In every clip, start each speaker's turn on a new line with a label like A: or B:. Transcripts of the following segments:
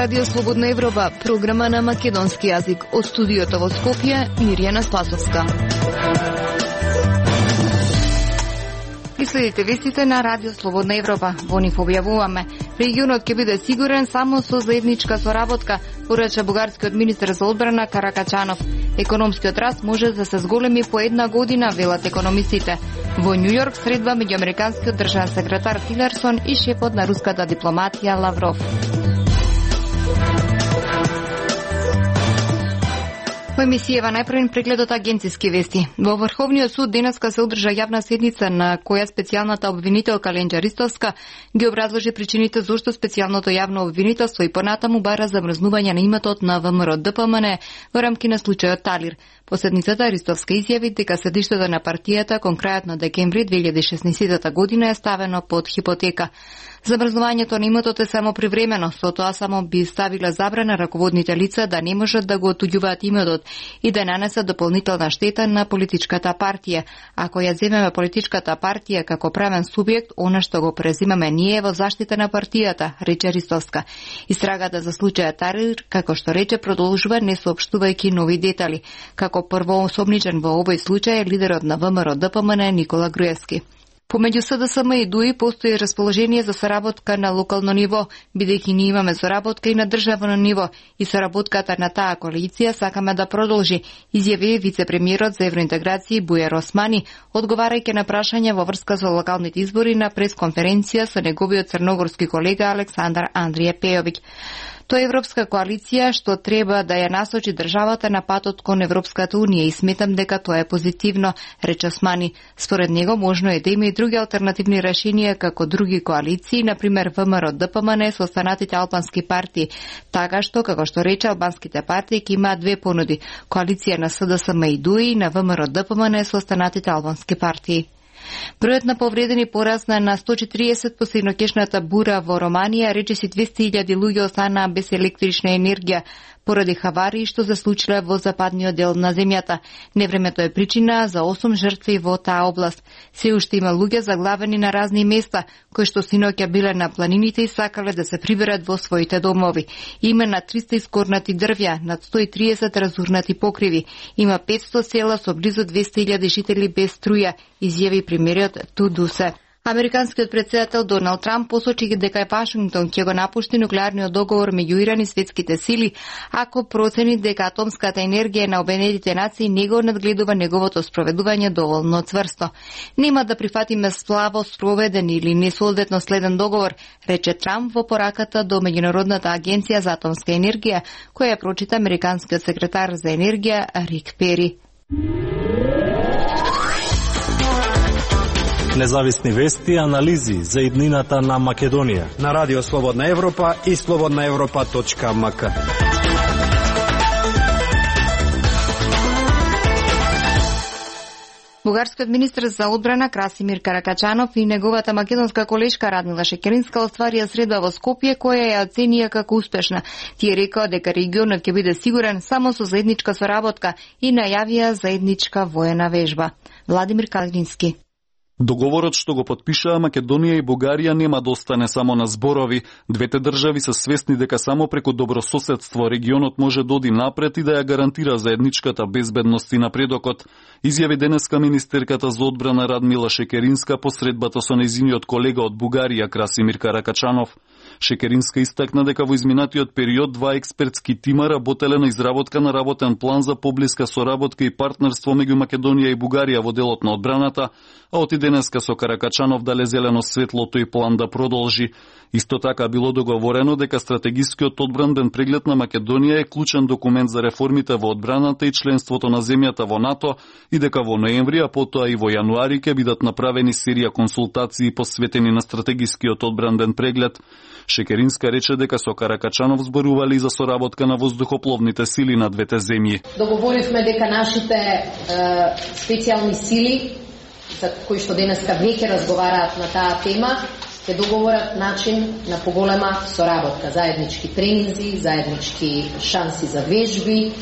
A: Радио Слободна Европа, програма на македонски јазик. Од студиото во Скопје, Мирјана Спасовска. И следите вестите на Радио Слободна Европа. Во нив објавуваме: регионот ќе биде сигурен само со заедничка соработка, порача бугарскиот министер за одбрана Каракачанов. Економскиот раст може да се зголеми по една година, велат економистите. Во Њу Јорк средба меѓу американскиот државен секретар Тилерсон и шефот на руската дипломатија Лавров. Во емисијава најпрвен прегледот агенциски вести. Во Врховниот суд денеска се одржа јавна седница на која специјалната обвинителка Ленџа Ристовска ги образложи причините зошто специјалното јавно обвинителство и понатаму бара замрзнување на иметот на ВМРО ДПМН во рамки на случајот Талир. Последницата Ристовска изјави дека седиштето на партијата кон крајот на декември 2016 година е ставено под хипотека. Замрзнувањето на иметот е само привремено, со тоа само би ставила забрана раководните лица да не можат да го отуѓуваат иметот и да нанесат дополнителна штета на политичката партија. Ако ја земеме политичката партија како правен субјект, она што го презимаме ние е во заштита на партијата, рече Ристовска. Истрагата за случајот Талир, како што рече, продолжува не соопштувајќи нови детали. Како првоосомничен во овој случај е лидерот на ВМРО ДПМН Никола Груевски. Помеѓу СДСМ и ДУИ постои расположение за соработка на локално ниво, бидејќи ние имаме соработка и на државно ниво и соработката на таа коалиција сакаме да продолжи, изјави вице-премиерот за евроинтеграција Бујар Османи, одговарајќи на прашање во врска со локалните избори на пресконференција со неговиот црногорски колега Александар Андрија Пејовиќ. Тоа е европска коалиција што треба да ја насочи државата на патот кон Европската унија и сметам дека тоа е позитивно, рече Османи. Според него можно е да има и други алтернативни решенија како други коалиции, например ВМРО ДПМН со останатите албански партии, така што, како што рече, албанските партии ќе имаат две понуди: коалиција на СДСМ и ДУИ и на ВМРО ДПМН со останатите албански партии. Бројот на повредени порасна на 140 по среднокешната бура во Романија, речиси 200.000 луѓе останаа без електрична енергија поради хаварии што се случиле во западниот дел на земјата. Невремето е причина за 8 жртви во таа област. Се уште има луѓе заглавени на разни места, кои што синоќа биле на планините и сакале да се приберат во своите домови. Има на 300 искорнати дрвја, над 130 разурнати покриви. Има 500 села со близу 200.000 жители без струја, изјави премиерот Тудусе. Американскиот претседател Доналд Трамп посочи дека Вашингтон ќе го напушти нуклеарниот договор меѓу Иран и светските сили ако процени дека атомската енергија на Обединетите нации не го надгледува неговото спроведување доволно цврсто. Нема да прифатиме слабо спроведен или несоодветно следен договор, рече Трамп во пораката до Меѓународната агенција за атомска енергија, која ја прочита американскиот секретар за енергија Рик Пери.
B: Независни вести и анализи за иднината на Македонија
C: на Радио Слободна Европа и slobodnaevropa.mk.
A: Бугарскиот министер за одбрана Красимир Каракачанов и неговата македонска колешка Радмила Шекеринска остварија среда во Скопје, која ја оценија како успешна. Тие рекоа дека регионот ќе биде сигурен само со заедничка соработка и најавија заедничка воена вежба. Владимир Калински.
D: Договорот што го потпишаа Македонија и Бугарија нема да остане само на зборови. Двете држави се свесни дека само преку добрососедство регионот може да оди напред и да ја гарантира заедничката безбедност и напредокот, изјави денеска министерката за одбрана Радмила Шекеринска по средбата со нејзиниот колега од Бугарија Красимир Каракачанов. Шекеринска истакна дека во изминатиот период два експертски тима работеле на изработка на работен план за поблиска соработка и партнерство меѓу Македонија и Бугарија во делот на одбраната, а оти денеска со Каракачанов дале зелено светло тој план да продолжи. Исто така било договорено дека стратегискиот одбранбен преглед на Македонија е клучен документ за реформите во одбраната и членството на земјата во НАТО и дека во ноември, а потоа и во јануари ќе бидат направени серија консултации посветени на стратегискиот одбранбен преглед. Шекеринска рече дека со Каракачанов зборували и за соработка на воздухопловните сили на двете земји.
E: Договоривме дека нашите специјални сили, за кои што денеска веќе разговараат на таа тема, ќе договорат начин на поголема соработка, заеднички тренинзи, заеднички шанси за вежби,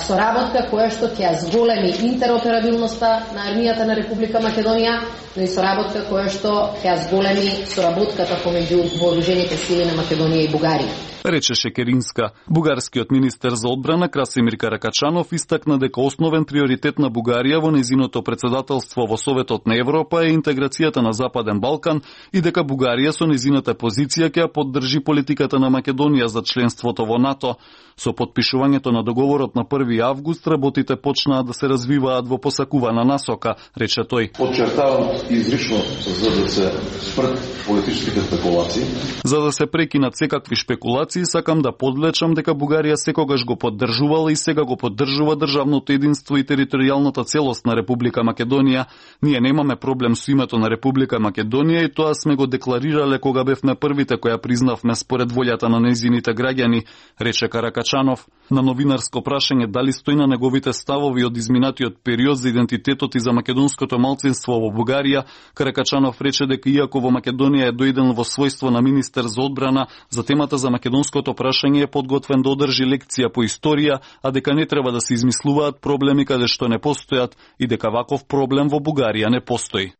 E: соработка која што ќе зголеми интероперабилноста на армијата на Република Македонија, но и соработка која што ќе зголеми соработката помеѓу вооружените сили на Македонија и Бугарија.
D: Рече Шекеринска. Бугарскиот министер за одбрана Красимир Каракачанов истакна дека основен приоритет на Бугарија во нејзиното председателство во Советот на Европа е интеграцијата на Западен Балкан и дека Бугарија со нејзината позиција ќе ја поддржи политиката на Македонија за членството во НАТО. Со потпишувањето на договорот на 1 август работите почнаа да се развиваат во посакувана насока, рече тој.
F: Подчертавам изрично за да се спрат политичките спекулации.
D: За да се прекинат секакви шпекулации, сакам да подлечам дека Бугарија секогаш го поддржувала и сега го поддржува државното единство и територијалната целост на Република Македонија. Ние немаме проблем со името на Република Македонија и тоа сме го декларирале кога бевме првите која признавме според волјата на нејзините граѓани, рече Каракачанов. На новинарско прашање дали стои на неговите ставови од изминатиот период за идентитетот и за македонското малцинство во Бугарија, Каракачанов рече дека иако во Македонија е дојден во својство на министер за одбрана, за темата за македонското прашање е подготвен да одржи лекција по историја, а дека не треба да се измислуваат проблеми каде што не постојат и дека ваков проблем во Бугарија не постои.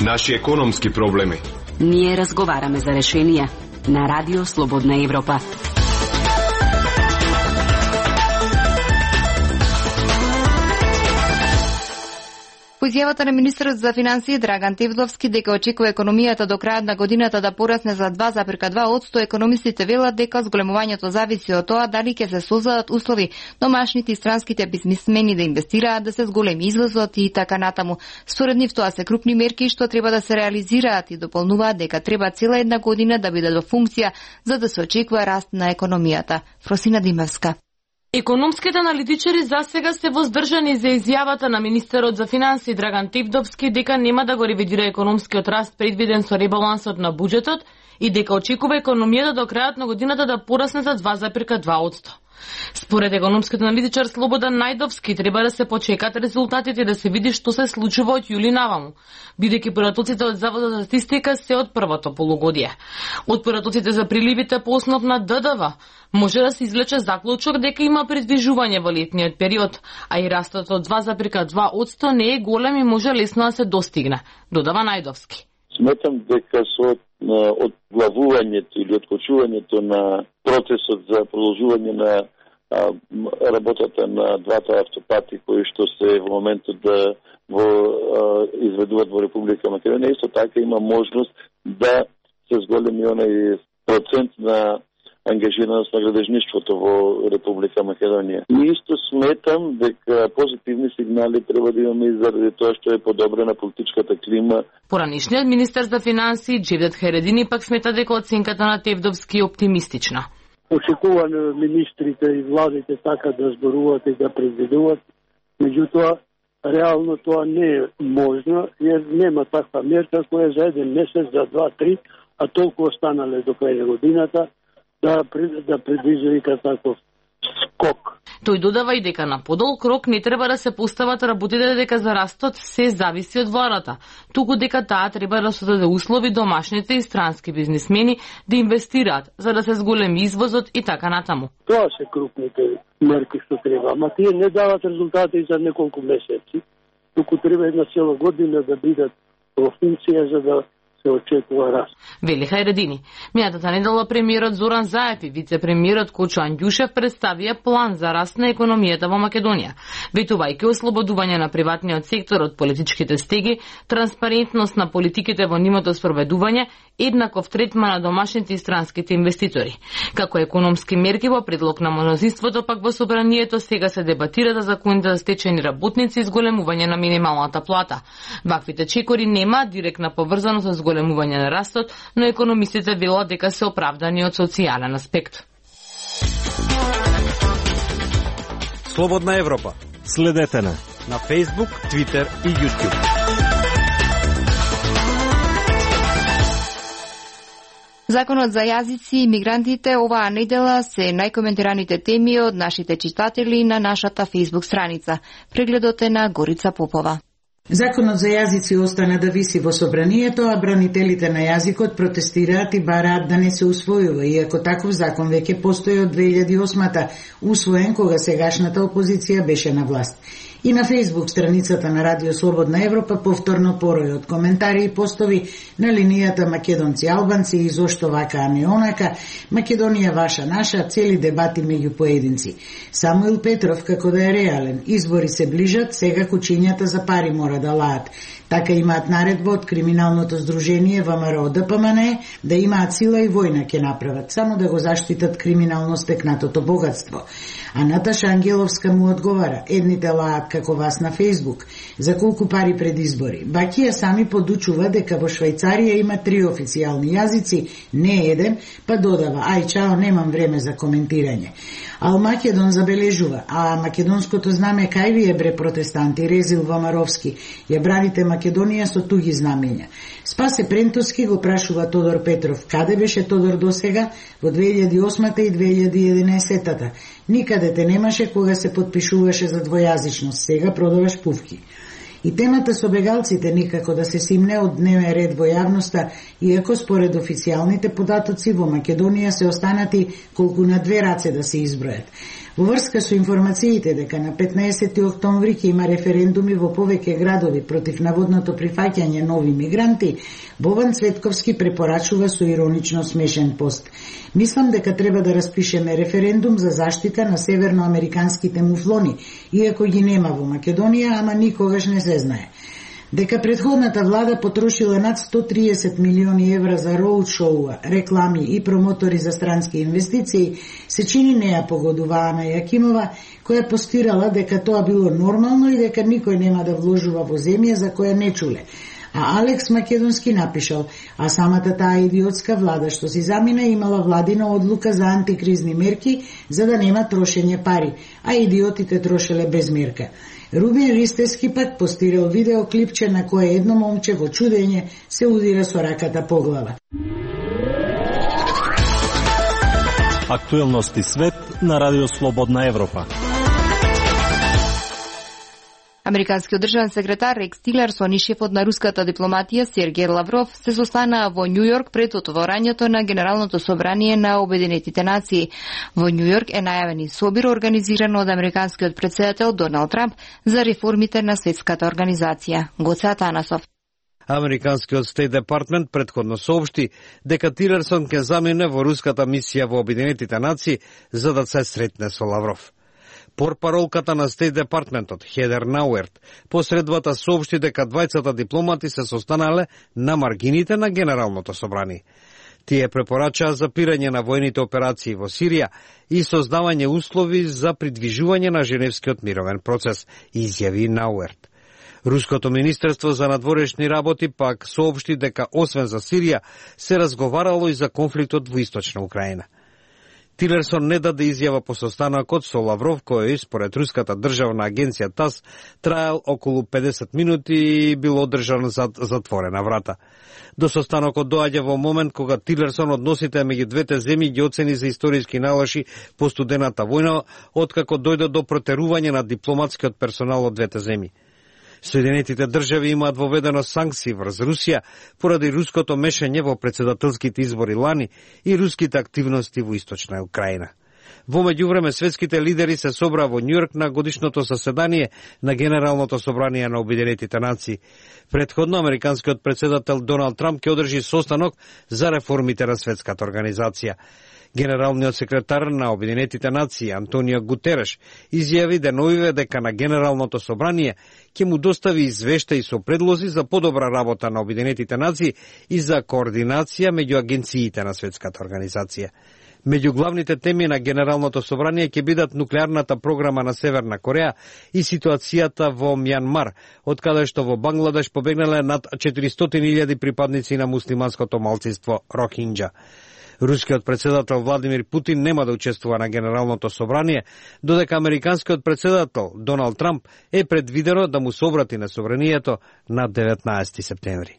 G: Наши економски проблеми.
H: Ние разговараме за решенија на Радио Слободна Европа.
A: По изјавата на министерот за финансии Драган Тевдовски дека очекува економијата до крајот на годината да порасне за 2,2%, економистите велат дека зголемувањето зависи од тоа дали ќе се создадат услови домашните и странските бизнисмени да инвестираат, да се зголеми извозот и така натаму. Според нив тоа се крупни мерки што треба да се реализираат и дополнуваат дека треба цела една година да бидат во функција за да се очекува раст на економијата. Фросина Димевска.
I: Економските аналитичари засега се воздржани за изјавата на министерот за финансии Драган Тевдовски дека нема да го ревидира економскиот раст предвиден со ребалансот на буџетот и дека очекува економијата до крајот на годината да порасне за 2,2%. Според економскиот аналитичар Слободан Најдовски треба да се почекат резултатите и да се види што се случува од јули наваму, бидејќи поратоците од Заводот за статистика се од првото полугодие. Од поратоците за приливите по основ на ДДВ може да се извлече заклучок дека има придвижување во летниот период, а и растот од 2,2% не е голем и може лесно да се достигне, додава Најдовски.
J: Сметам дека со одглавувањето или откочувањето на процесот за продолжување на работата на двата автопати кои што се во моментот да изведуваат во Република Македонија, исто така има можност да се зголеми онај процент на ангажираност на градежништвото во Република Македонија. И исто сметам дека позитивни сигнали треба да имаме и заради тоа што е подобрена политичката клима.
I: Поранишниот министер за финансии Джевдет Харедини пак смета дека оценката на Тевдовски е оптимистична.
K: Очекувано министрите и владите така да зборуваат и да предвидуваат, меѓутоа реално тоа не е можно, jer нема таква мерка која за еден месец, за 2-3, а толку останале до крај годината да предвижда таков скок.
I: Тој додава и дека на подолг рок не треба да се постават работите дека за растот се зависи од владата, туку дека таа треба да создаде услови домашните и странски бизнисмени да инвестираат за да се зголеми извозот и така натаму.
K: Тоа се крупните мерки што треба, ама тие не дават резултати за неколку месеци, туку треба една цела година да бидат во функција за да се очекува раст.
I: Вели Хајредини. Минатата недела премиерот Зоран Заев и вице-премиерот Кочо Андјушев представија план за раст на економијата во Македонија, ветувајќи ослободување на приватниот сектор од политичките стеги, транспарентност на политиките во нивното спроведување, еднаков третман на домашните и странските инвеститори. Како економски мерки во предлог на мнозинството пак во собранието сега се дебатира за законите за стечени работници и зголемување на минималната плата. Ваквите чекори нема директна поврзаност со зголемување на растот, но економистите велат дека се оправдани од социјален аспект.
C: Слободна Европа.
B: Следете на
C: Facebook, Twitter и YouTube.
A: Законот за јазици и мигрантите оваа недела се најкоментираните теми од нашите читатели на нашата Facebook страница. Прегледот е на Горица Попова.
L: Законот за јазици остана да виси во собранието, а бранителите на јазикот протестираат и бараат да не се усвојува, иако таков закон веќе постои од 2008-та, усвоен кога сегашната опозиција беше на власт. И на Facebook страницата на Радио Слободна Европа повторно порој од коментари и постови на линијата македонци албанци и зошто вака а не онака, Македонија ваша наша, цели дебати меѓу поединци. Самуил Петров како да е реален, избори се ближат, сега кучињата за пари мора да лаат. Така имаат наредба од криминалното здружение ВМРО ДПМН да имаат сила и војна ќе направат, само да го заштитат криминално стекнатото богатство. А Наташа Ангеловска му одговара, едните лаат како вас на Фейсбук. За колку пари пред избори? Бакија сами подучува дека во Швајцарија има 3 официјални јазици, не еден, па додава, ај чао, немам време за коментирање. Ал Македон забележува, а македонското знаме кај ви е бре протестанти, Резил Вамаровски, ја браните Македонија со туги знамења. Спасе Прентовски го прашува Тодор Петров, каде беше Тодор досега во 2008 и 2011-та? Никаде те немаше кога се подпишуваше за двојазичност, сега продаваш пувки. И темата со бегалците никако да се симне од дневен ред во јавноста, иако според официјалните податоци во Македонија се останати колку на 2 раце да се избројат. Во врска со информациите дека на 15 октомври ќе има референдуми во повеќе градови против наводното прифаќање нови мигранти, Бован Цветковски препорачува со иронично смешен пост. Мислам дека треба да распишеме референдум за заштита на северноамериканските муфлони, иако ги нема во Македонија, ама никогаш не се знае. Дека предходната влада потрошила над 130 милиони евра за роудшоуа, реклами и промотори за странски инвестиции, се чини не ја погодува Ана Јакимова, која постирала дека тоа било нормално и дека никој нема да вложува во земја за која не чуле. А Алекс Македонски напишал, а самата таа идиотска влада што си замина имала владина одлука за антикризни мерки за да нема трошење пари, а идиотите трошеле без мерка. Рубин Ристески пак постирал видеоклипче на кое едно момче во чудење се удира со раката по глава.
B: Актуелности свет на Радио Слободна Европа.
A: Американскиот државен секретар Рекс Тилерсон и шефот на руската дипломатија Сергеј Лавров се состанаа во Њу Јорк пред отворањето на Генералното собрание на Обединетите нации. Во Њу Јорк е најавен и собир организиран од американскиот претседател Доналд Трамп за реформите на светската организација. Гоце Атанасов.
C: Американскиот Стейт Департмент предходно соопшти дека Тилерсон ќе замине во руската мисија во Обединетите нации за да се сретне со Лавров. Портпаролката на Стейт Департментот Хедер Науерт посредбата соопшти дека двајцата дипломати се состанале на маргините на Генералното собрание. Тие препорачаа запирање на војните операции во Сирија и создавање услови за придвижување на Женевскиот мировен процес, изјави Науерт. Руското министерство за надворешни работи пак соопшти дека освен за Сирија се разговарало и за конфликтот во Источна Украина. Тилерсон не даде изјава по состанокот со Лавров, кој според руската државна агенција ТАСС траел околу 50 минути и бил одржан зад затворена врата. До состанокот доаѓа во момент кога Тилерсон односите меѓу двете земји ги оцени за историски налоши по студената војна, откако дојде до протерување на дипломатскиот персонал од двете земји. Соединетите држави имаат воведено санкции врз Русија поради руското мешање во претседателските избори лани и руските активности во Источна Украина. Во меѓувреме светските лидери се собраа во Њујорк на годишното заседание на Генералното собрание на Обединетите нации. Предходно американскиот претседател Доналд Трамп ќе одржи состанок за реформите на светската организација. Генералниот секретар на Обединетите нации Антонио Гутереш изјави деновиве дека на Генералното собрание ќе му достави извештаи со предлози за подобра работа на Обединетите нации и за координација меѓу агенциите на светската организација. Меѓу главните теми на Генералното собрание ќе бидат нуклеарната програма на Северна Кореја и ситуацијата во Мјанмар, од каде што во Бангладеш побегнале над 400.000 припадници на муслиманското малцинство Рохинџа. Рускиот претседател Владимир Путин нема да учествува на Генералното собрание, додека американскиот претседател Доналд Трамп е предвидено да му се обрати на собранието на 19 септември.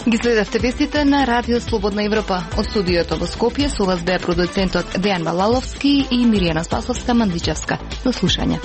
A: Ги следавте вестите на Радио Слободна Европа. Од студиото во Скопје со вас беа продуцентот Дејан Балаловски и Миријана Спасовска-Мандичевска. До слушање.